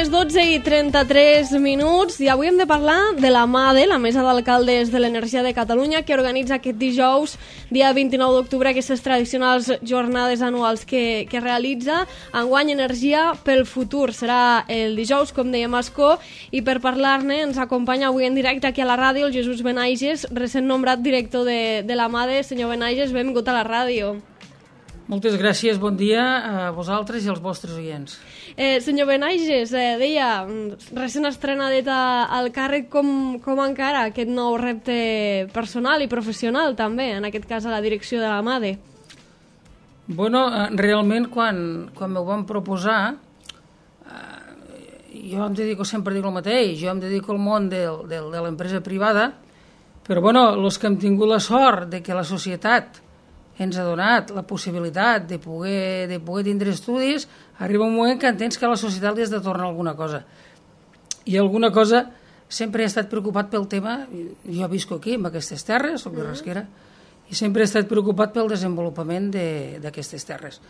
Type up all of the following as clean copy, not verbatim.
les 12:33 i avui hem de parlar de la MADE, la Mesa d'Alcaldes de l'Energia de Catalunya, que organitza aquest dijous, dia 29 d'octubre, aquestes tradicionals jornades anuals que realitza. Enguany Energia pel futur serà el dijous, com dèiem, a Ascó, i per parlar-ne ens acompanya avui en directe aquí a la ràdio el Jesús Benaiges, recent nombrat director de la MADE. Senyor Benaiges, benvingut a la ràdio. Moltes gràcies, bon dia a vosaltres i als vostres oients. Senyor Benaiges, deia, recent estrenadet al càrrec, com encara aquest nou repte personal i professional també, en aquest cas a la direcció de la MADE? Bueno, realment quan m'ho van proposar, jo em dedico, sempre dic el mateix, jo em dedico al món de l'empresa privada, però bueno, els que hem tingut la sort de que la societat ens ha donat la possibilitat de poder tindre estudis, arriba un moment que entens que a la societat li has de tornar alguna cosa. I alguna cosa, sempre he estat preocupat pel tema, jo visco aquí, en aquestes terres, soc de Rasquera, i sempre he estat preocupat pel desenvolupament d'aquestes terres.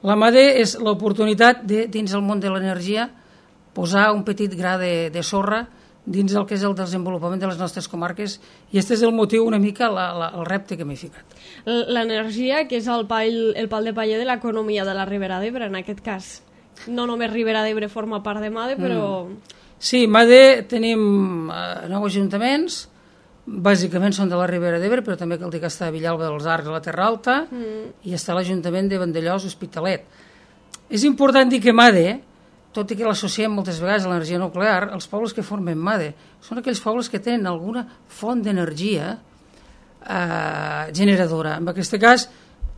La MADE és l'oportunitat de, dins el món de l'energia, posar un petit gra de sorra dins el que és el desenvolupament de les nostres comarques, i aquest és el motiu, una mica, el repte que m'he ficat. L'energia, que és el pal de paller de l'economia de la Ribera d'Ebre, en aquest cas. No només Ribera d'Ebre forma part de MADE, però... Sí, MADE tenim 9 ajuntaments, bàsicament són de la Ribera d'Ebre, però també cal dir que està a Villalba dels Arcs, a la Terra Alta, i està l'Ajuntament de Vandellòs, Hospitalet. És important dir que MADE, tot i que l'associem moltes vegades a l'energia nuclear, els pobles que formen MADE són aquells pobles que tenen alguna font d'energia generadora. En aquest cas,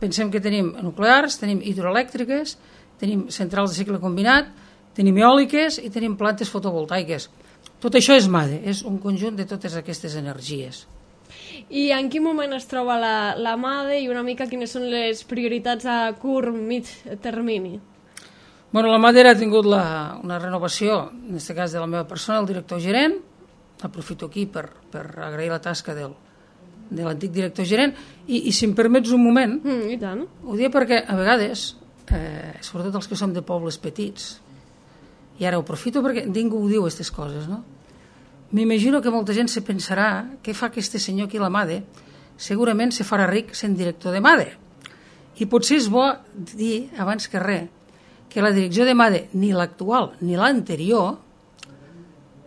pensem que tenim nuclears, tenim hidroelèctriques, tenim centrals de cicle combinat, tenim eòliques i tenim plantes fotovoltaiques. Tot això és MADE, és un conjunt de totes aquestes energies. I en quin moment es troba la MADE i una mica quines són les prioritats a curt, mig termini? Bueno, la MADE ha tingut una renovació, en aquest cas de la meva persona, el director gerent. Aprofito aquí per agrair la tasca de l'antic director gerent. I si em permets un moment, i tant. Ho dic perquè a vegades, sobretot els que som de pobles petits, i ara ho aprofito perquè ningú ho diu, aquestes coses, no? M'imagino que molta gent se pensarà què fa aquest senyor aquí a la MADE, segurament se farà ric sent director de MADE. I potser és bo dir, abans que res, que la direcció de MADE, ni l'actual ni l'anterior,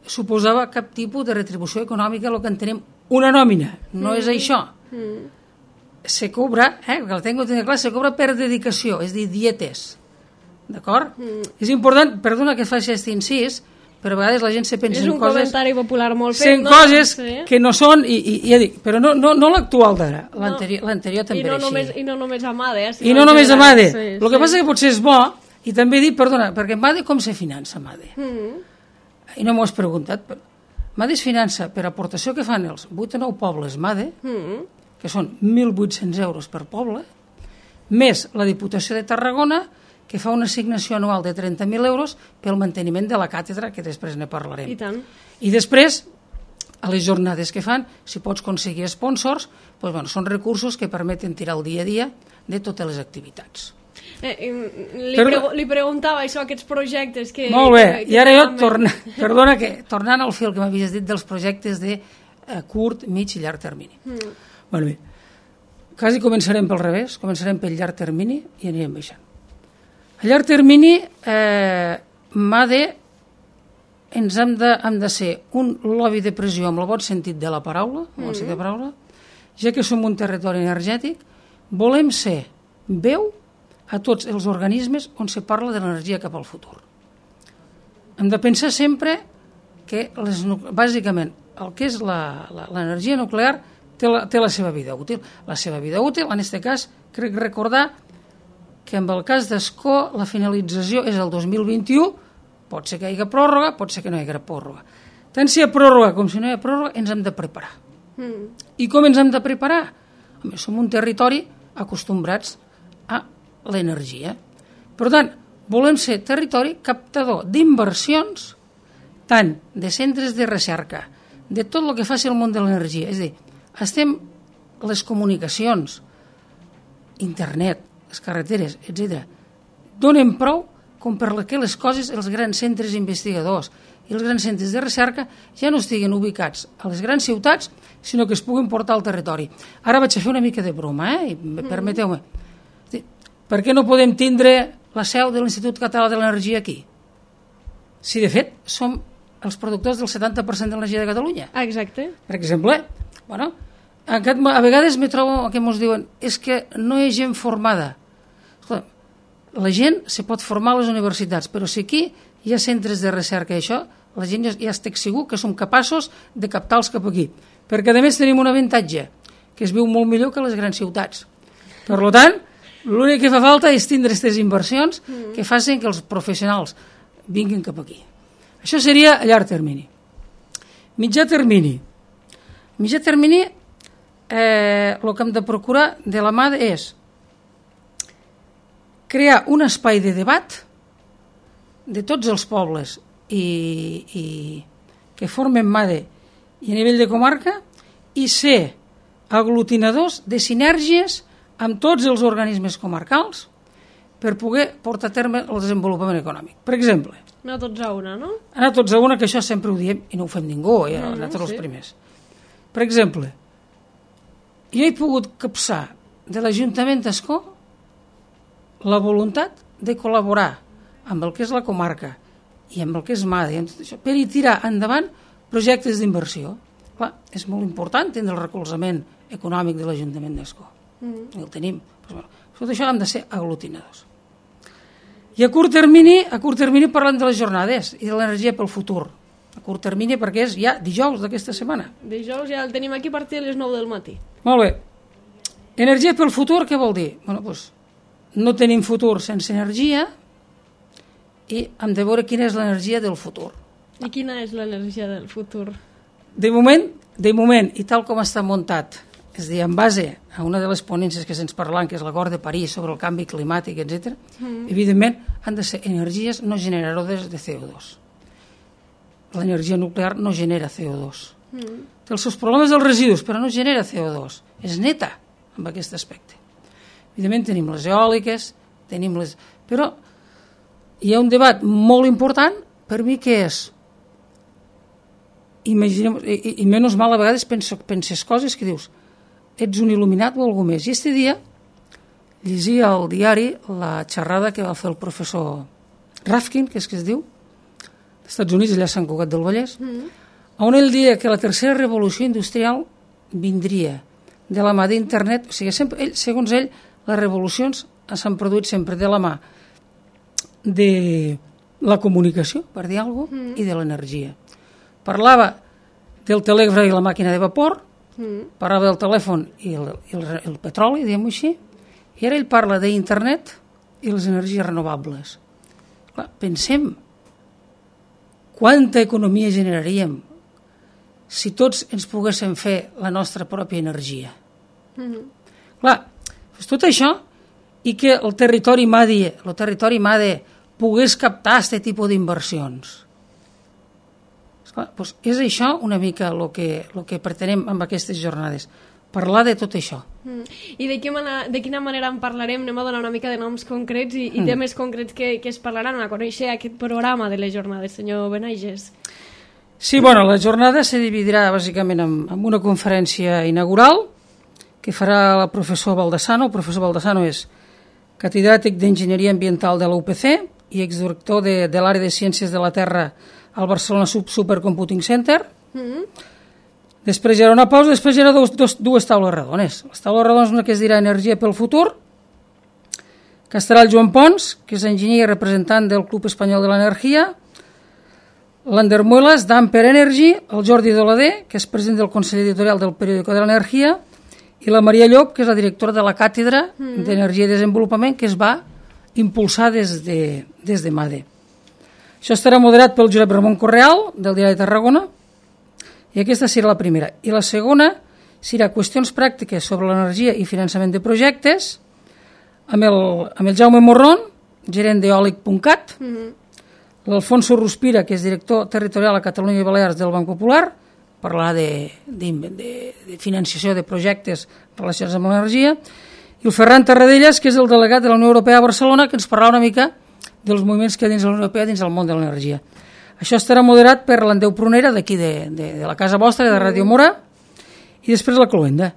suposava cap tipus de retribució econòmica, el que entenem una nòmina. No és això. Se cobra, que la tengo clar, se cobra per dedicació, és a dir, dietes. D'acord? És important, perdona que faci aquest incís, però a vegades la gent se pensa en coses... És un comentari popular molt fet, no? Coses que no són, i ja dic, però no l'actual d'ara, l'anterior també era així. I no només a MADE. I no només a MADE. El que passa que potser és bo. I també dic, perdona, perquè MADE com se finança, MADE? I no m'ho has preguntat, però MADE es finança per aportació que fan els 8 o 9 pobles MADE, que són 1.800 euros per poble, més la Diputació de Tarragona, que fa una assignació anual de 30.000 euros pel manteniment de la càtedra, que després ne parlarem. I tant. I després, a les jornades que fan, si pots aconseguir sponsors, són recursos que permeten tirar el dia a dia de totes les activitats. Li preguntava això, aquests projectes que... Molt bé, i ara jo, tornant al fil que m'havies dit dels projectes de curt, mig i llarg termini. Molt bé, quasi començarem pel revés, començarem pel llarg termini i anirem baixant. A llarg termini, MADE ens hem de ser un lobby de pressió amb el bon sentit de la paraula, ja que som un territori energètic, volem ser veu a tots els organismes on se parla de l'energia cap al futur. Hem de pensar sempre que, bàsicament, el que és l'energia nuclear té la seva vida útil. La seva vida útil, en aquest cas, crec recordar que en el cas d'Ascó la finalització és el 2021, pot ser que hi hagi pròrroga, pot ser que no hi hagi pròrroga. Tant si hi ha pròrroga com si no hi ha pròrroga, ens hem de preparar. I com ens hem de preparar? Som un territori acostumbrats a l'energia. Per tant, volem ser territori captador d'inversions, tant de centres de recerca, de tot el que faci el món de l'energia. És a dir, estem les comunicacions, internet, les carreteres, etc. Donen prou com perquè les coses, els grans centres investigadors i els grans centres de recerca ja no estiguen ubicats a les grans ciutats, sinó que es puguin portar al territori. Ara vaig a fer una mica de broma, i permeteu-me. Per què no podem tindre la seu de l'Institut Català de l'Energia aquí? Si, de fet, som els productors del 70% de l'energia de Catalunya. Exacte. Per exemple, bueno, a vegades me trobo que ens diuen és que no hi ha gent formada. Escolta, la gent se pot formar a les universitats, però si aquí hi ha centres de recerca i això, la gent ja estic segur que som capaços de captar-los cap aquí. Perquè, a més, tenim un avantatge, que es viu molt millor que a les grans ciutats. Per tant, l'únic que fa falta és tindre aquestes inversions que facin que els professionals vinguin cap aquí. Això seria a llarg termini. Mitjà termini. Mitjà termini, el que hem de procurar de la mà és crear un espai de debat de tots els pobles i que formen MADE i a nivell de comarca i ser aglutinadors de sinergies amb tots els organismes comarcals per poder portar a terme el desenvolupament econòmic. Per exemple, anar tots a una, no? Anar tots a una, que això sempre ho diem i no ho fem ningú, nosaltres els primers. Per exemple, jo he pogut capçar de l'Ajuntament d'Ascó la voluntat de col·laborar amb el que és la comarca i amb el que és MADE per i tirar endavant projectes d'inversió. Clar, és molt important tenir el recolzament econòmic de l'Ajuntament d'Ascó. El tenim. Tot això hem de ser aglutinadors. I a curt termini parlem de les jornades i de l'energia pel futur. A curt termini perquè és ja dijous d'aquesta setmana. Dijous ja el tenim aquí a partir de les 9 del matí. Molt bé. Energia pel futur, què vol dir? Bueno, doncs, no tenim futur sense energia i hem de veure quina és l'energia del futur. I quina és l'energia del futur? De moment, i tal com està muntat, és a dir, en base a una de les ponències que se'ns parlen, que és l'acord de París sobre el canvi climàtic, etc., evidentment han de ser energies no generadores de CO2. L'energia nuclear no genera CO2. Té els seus problemes dels residus, però no genera CO2. És neta amb aquest aspecte. Evidentment tenim les eòliques, però hi ha un debat molt important per mi que és i menys mal a vegades penses coses que dius ets un il·luminat o algú més. I aquest dia llegia al diari la xerrada que va fer el professor Rafkin, que és que es diu, als Estats Units, allà a Sant Cugat del Vallès, on ell deia que la tercera revolució industrial vindria de la mà d'internet, o sigui, sempre, segons ell, les revolucions s'han produït sempre de la mà de la comunicació, per dir alguna cosa, i de l'energia. Parlava del telègraf i la màquina de vapor, parlava del telèfon i el petroli, diguem-ho així, i ara ell parla d'internet i les energies renovables. Clar, pensem quanta economia generaríem si tots ens poguéssim fer la nostra pròpia energia. Clar, tot això i que el territori MADE pogués captar aquest tipus d'inversions. Doncs és això una mica el que pretenem amb aquestes jornades, parlar de tot això. I de quina manera en parlarem? Anem a donar una mica de noms concrets i temes concrets que es parlaran a conèixer aquest programa de les jornades, senyor Benaiges. Sí, bueno, la jornada se dividirà bàsicament en una conferència inaugural que farà el professor Baldassano. El professor Baldassano és catedràtic d'Enginyeria Ambiental de la UPC i exdirector de l'àrea de Ciències de la Terra al Barcelona Supercomputing Center. Després hi haurà una pausa, després hi haurà dues taules redones. Les taules redones, una que es dirà Energia pel futur, que estarà el Joan Pons, que és enginyer i representant del Club Espanyol de l'Energia, l'Ander Muelas, d'Amper Energy, el Jordi Doladé, que és president del Consell Editorial del Periódico de l'Energia, i la Maria Llop, que és la directora de la Càtedra d'Energia i Desenvolupament, que es va impulsar des de MADE. Això estarà moderat pel Josep Ramon Correal, del Diari de Tarragona, i aquesta serà la primera. I la segona serà qüestions pràctiques sobre l'energia i finançament de projectes, amb el Jaume Morron, gerent d'eòlic.cat, l'Alfonso Ruspira, que és director territorial a Catalunya i Balears del Banc Popular, parlarà de financiació de projectes relacionats amb l'energia, i el Ferran Tarradellas, que és el delegat de la Unió Europea a Barcelona, que ens parlarà una mica dels moviments que hi ha dins de la Unió Europea dins del món de l'energia. Això estarà moderat per l'Andeu Prunera d'aquí de la casa vostra, de Ràdio Mora, i després la Cloenda.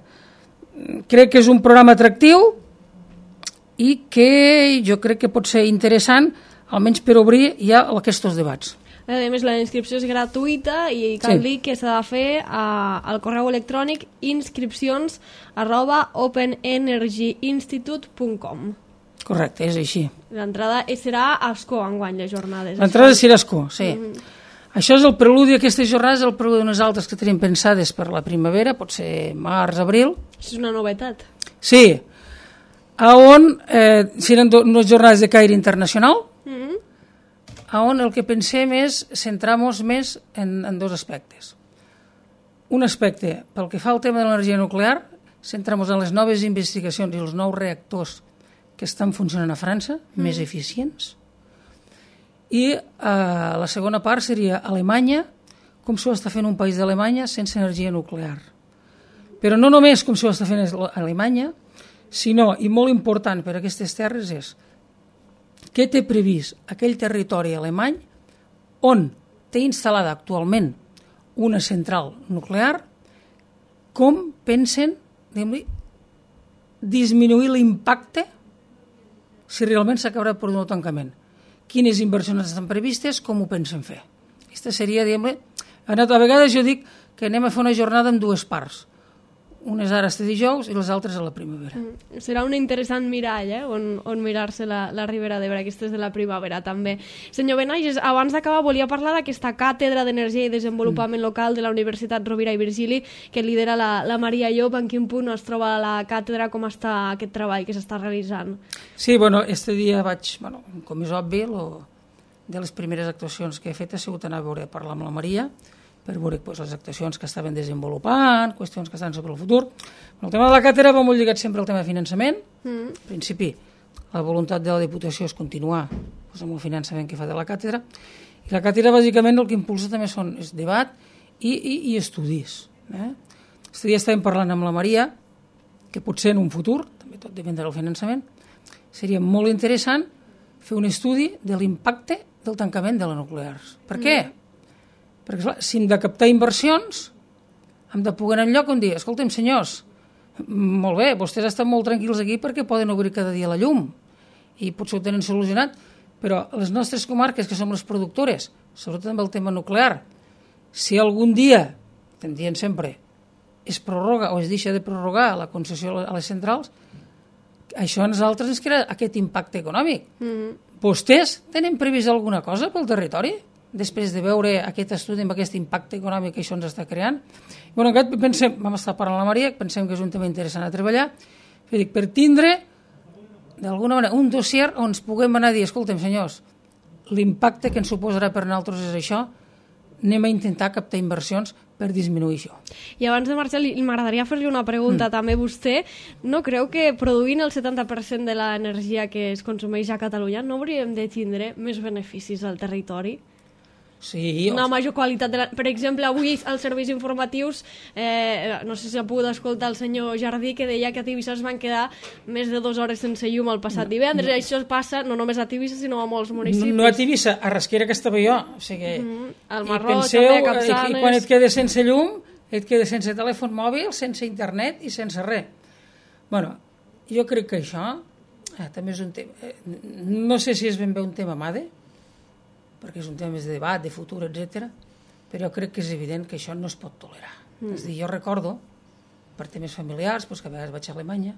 Crec que és un programa atractiu i que jo crec que pot ser interessant, almenys per obrir ja aquests debats. A més, la inscripció és gratuïta i cal dir que s'ha de fer al correu electrònic inscripcions@openenergyinstitute.com. Correcte, és així. L'entrada serà a Ascó enguany, les jornades. L'entrada serà a Ascó, sí. Això és el preludi, aquestes jornades, el preludi d'unes altres que tenim pensades per la primavera, pot ser març, abril. Això és una novetat. Sí, on seran unes jornades de caire internacional, on el que pensem és centrar-nos més en dos aspectes. Un aspecte, pel que fa al tema de l'energia nuclear, centrar-nos en les noves investigacions i els nous reactors que estan funcionant a França, més eficients. I la segona part seria Alemanya, com s'ho està fent un país d'Alemanya sense energia nuclear. Però no només com s'ho està fent Alemanya, sinó, i molt important per a aquestes terres, és què té previst aquell territori alemany on té instal·lada actualment una central nuclear, com pensen disminuir l'impacte si realment s'acabarà produint el tancament. Quines inversions estan previstes, com ho pensen fer. Aquesta seria, a vegades jo dic que anem a fer una jornada amb dues parts. Unes ara este dijous i les altres a la primavera. Serà un interessant mirall, on mirar-se la Ribera d'Ebre, aquestes de la primavera també. Senyor Benages, abans d'acabar volia parlar d'aquesta càtedra d'energia i desenvolupament local de la Universitat Rovira i Virgili que lidera la Maria Llop. En quin punt es troba la càtedra, com està aquest treball que s'està realitzant? Sí, este dia vaig, com és obvi, de les primeres actuacions que he fet ha sigut anar a parlar amb la Maria, per veure les actuacions que estaven desenvolupant, qüestions que estan sobre el futur. El tema de la càtedra va molt lligat sempre al tema de finançament. En principi, la voluntat de la Diputació és continuar amb el finançament que fa de la càtedra. I la càtedra, bàsicament, el que impulsa també és debat i estudis. Aquest dia estàvem parlant amb la Maria que potser en un futur, també tot dependrà del finançament, seria molt interessant fer un estudi de l'impacte del tancament de les nuclears. Per què? Perquè, clar, si hem de captar inversions, hem de poder anar enlloc on dir, escolta'm, senyors, molt bé, vostès estan molt tranquils aquí perquè poden obrir cada dia la llum i potser ho tenen solucionat, però les nostres comarques, que som les productores, sobretot amb el tema nuclear, si algun dia, estem dient sempre, es prorroga o es deixa de prorrogar la concessió a les centrals, això a nosaltres ens crea aquest impacte econòmic. Vostès tenen previst alguna cosa pel territori? Després de veure aquest estudi amb aquest impacte econòmic que això ens està creant. Pensem, vam estar parlant amb la Maria, pensem que és un tema interessant a treballar, per tindre, d'alguna manera, un dossier on ens puguem anar a dir, escolta'm, senyors, l'impacte que ens suposarà per nosaltres és això, anem a intentar captar inversions per disminuir això. I abans de marxar, m'agradaria fer-li una pregunta també. Vostè no creu que produint el 70% de l'energia que es consumeix a Catalunya no hauríem de tindre més beneficis al territori? Sí, una major qualitat. Per exemple, avui als serveis informatius, no sé si ha pogut escoltar el senyor Jardí, que deia que a Tivissa es van quedar més de 2 hores sense llum el passat divendres. Això passa no només a Tivissa, sinó a molts municipis. No a Tivissa, a Rasquera, que estava jo. O sigui, al Marroig, també a Capçanes. I quan et quedes sense llum, et quedes sense telèfon mòbil, sense internet i sense res. Bueno, jo crec que això també és un tema... No sé si és ben bé un tema MADE, perquè és un tema més de debat, de futur, etc. Però jo crec que és evident que això no es pot tolerar. És a dir, jo recordo, per temes familiars, que a vegades vaig a Alemanya,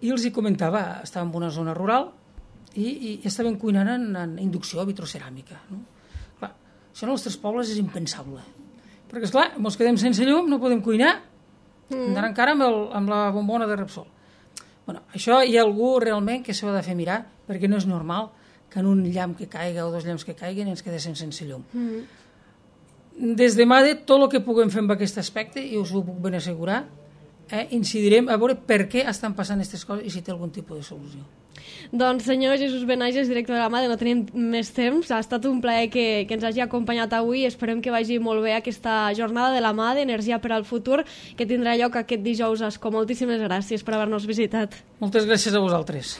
i els hi comentava, estàvem en una zona rural i estaven cuinant en inducció vitroceràmica. Clar, això en els nostres pobles és impensable. Perquè, esclar, ens quedem sense llum, no podem cuinar, anar encara amb la bombona de Repsol. Això hi ha algú realment que s'ho ha de fer mirar, perquè no és normal que en un llamp que caiga o 2 llamps que caiguen ens quedéssim sense llum. Des de MADE, tot el que puguem fer amb aquest aspecte, i us ho puc ben assegurar, incidirem a veure per què estan passant aquestes coses i si té algun tipus de solució. Doncs senyor Jesús Benages, director de la MADE, no tenim més temps. Ha estat un plaer que ens hagi acompanyat avui. Esperem que vagi molt bé aquesta jornada de la MADE, Energia per al Futur, que tindrà lloc aquest dijous a Ascó. Moltíssimes gràcies per haver-nos visitat. Moltes gràcies a vosaltres.